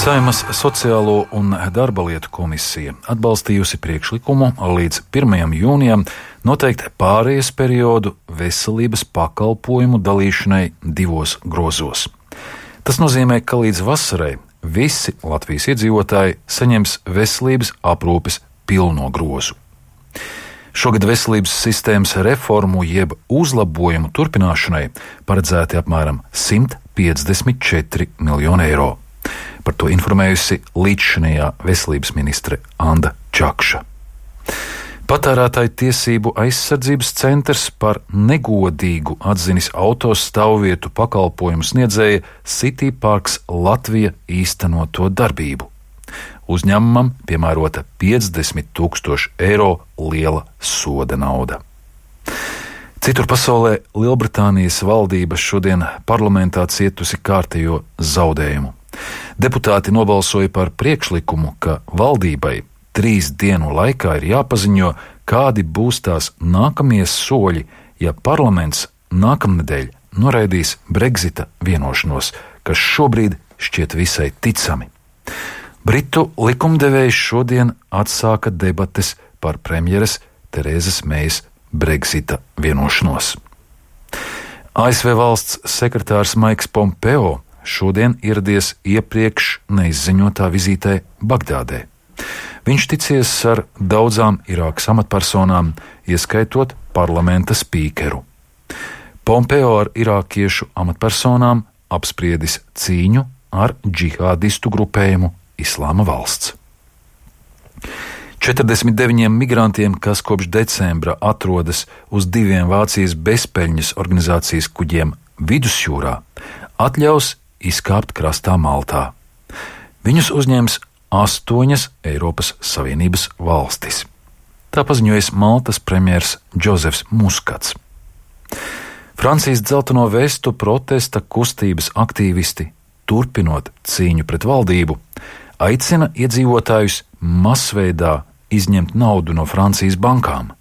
Saeimas Sociālo un darba lietu komisija atbalstījusi priekšlikumu līdz 1. jūnijam noteikt pārejas periodu veselības pakalpojumu dalīšanai 2 grozos. Tas nozīmē, ka līdz vasarai visi Latvijas iedzīvotāji saņems veselības aprūpes pilno grozu. Šogad veselības sistēmas reformu jeb uzlabojumu turpināšanai paredzēti apmēram 154 miljoni eiro. Par to informējusi līdzšinējā veselības ministre Anda Čakša. Patērētāju tiesību aizsardzības centrs par negodīgu atzinis autostāvvietu pakalpojumu sniedzēja City Parks Latvija īstenoto darbību. Uzņēmumam piemērota 50 000 eiro liela soda nauda. Citur pasaulē Lielbritānijas valdība šodien parlamentā cietusi kārtējo zaudējumu. Deputāti nobalsoja par priekšlikumu, ka valdībai 3 dienu laikā ir jāpaziņo, kādi būs tās nākamie soļi, ja parlaments nākamnedēļ noraidīs Brexita vienošanos, kas šobrīd šķiet visai ticami. Britu likumdevējs šodien atsāka debates par premjeres Terēzes Mejas Brexita vienošanos. ASV valsts sekretārs Maiks Pompeo šodien ieradies iepriekš neizziņotā vizītē Bagdādē. Viņš ticies ar daudzām Irākas amatpersonām, ieskaitot parlamenta spīkeru. Pompeo ar irākiešu amatpersonām apspriedis cīņu ar džihādistu grupējumu Islāma valsts. 49 migrantiem, kas kopš decembra atrodas uz 2 Vācijas bezpeļņas organizācijas kuģiem Vidusjūrā, atļaus izkāpt krastā Maltā. Viņus uzņems 8 Eiropas Savienības valstis. Tā paziņojas Maltas premjers Džozefs Muskats. Francijas dzelteno vestu protesta kustības aktīvisti, turpinot cīņu pret valdību, aicina iedzīvotājus masveidā izņemt naudu no Francijas bankām.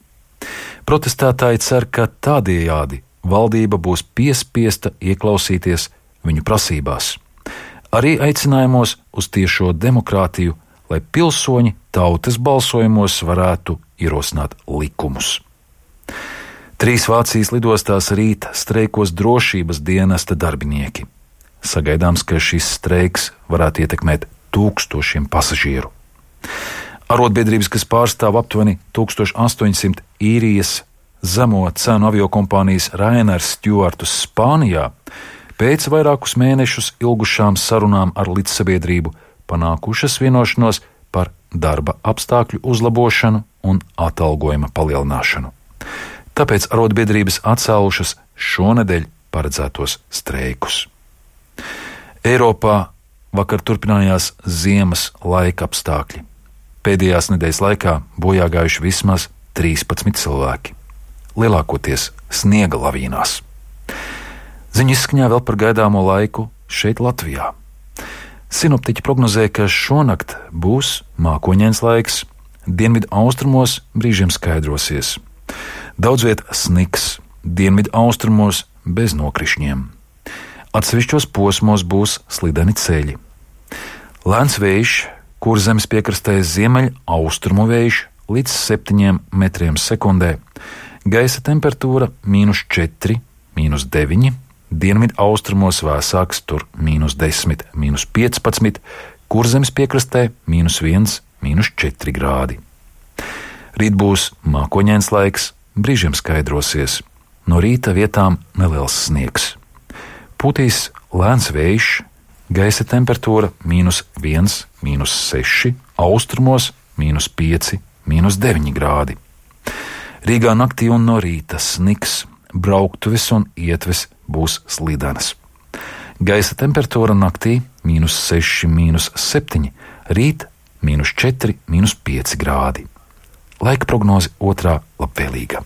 Protestētāji cer, ka tādējādi valdība būs piespiesta ieklausīties viņu prasībās. Arī aicinājumos uz tiešo demokrātiju, lai pilsoņi tautas balsojumos varētu ierosināt likumus. 3 Vācijas lidostās rīt streikos drošības dienesta darbinieki. Sagaidāms, ka šis streiks varētu ietekmēt 1000 pasažieru. Arotbiedrības, kas pārstāv aptuveni 1800 īrijas zemo cenu aviokompānijas Ryanair stjuartus Spānijā, pēc vairākus mēnešus ilgušām sarunām ar līdzsabiedrību panākušas vienošanos par darba apstākļu uzlabošanu un atalgojuma palielināšanu. Tāpēc arotbiedrības atcēlušas šonedēļ paredzētos streikus. Eiropā vakar turpinājās ziemas laika apstākļi. Pēdējās nedēļas laikā bojā gājuši vismaz 13 cilvēki, lielākoties sniega lavīnās. Ziņu izskaņā vēl par gaidāmo laiku šeit Latvijā. Sinoptiķi prognozē, ka šonakt būs mākoņains laiks, dienvidu austrumos brīžiem skaidrosies. Daudz viet sniks, dienvidu austrumos bez nokrišņiem. Atsevišķos posmos būs slideni ceļi. Lēns vējš, Kurzemes piekrastē ziemeļ austrumu vējš līdz 7 metriem sekundē, gaisa temperatūra -4, -9, dienvidu austrumos vēsāks tur -10, -15, Kurzemes piekrastē -1, -4 grādi. Rīt būs mākoņains laiks, brīžiem skaidrosies, no rīta vietām neliels sniegs. Pūtīs lēns vējš, gaisa temperatūra -1, -6, austrumos -5, -9 grādi. Rīgā naktī un no rīta sniks, brauktuves un ietves būs slidenas. Gaisa temperatūra naktī -6, -7, rīt -4, -5 grādi. Laika prognoze otrā labvēlīga.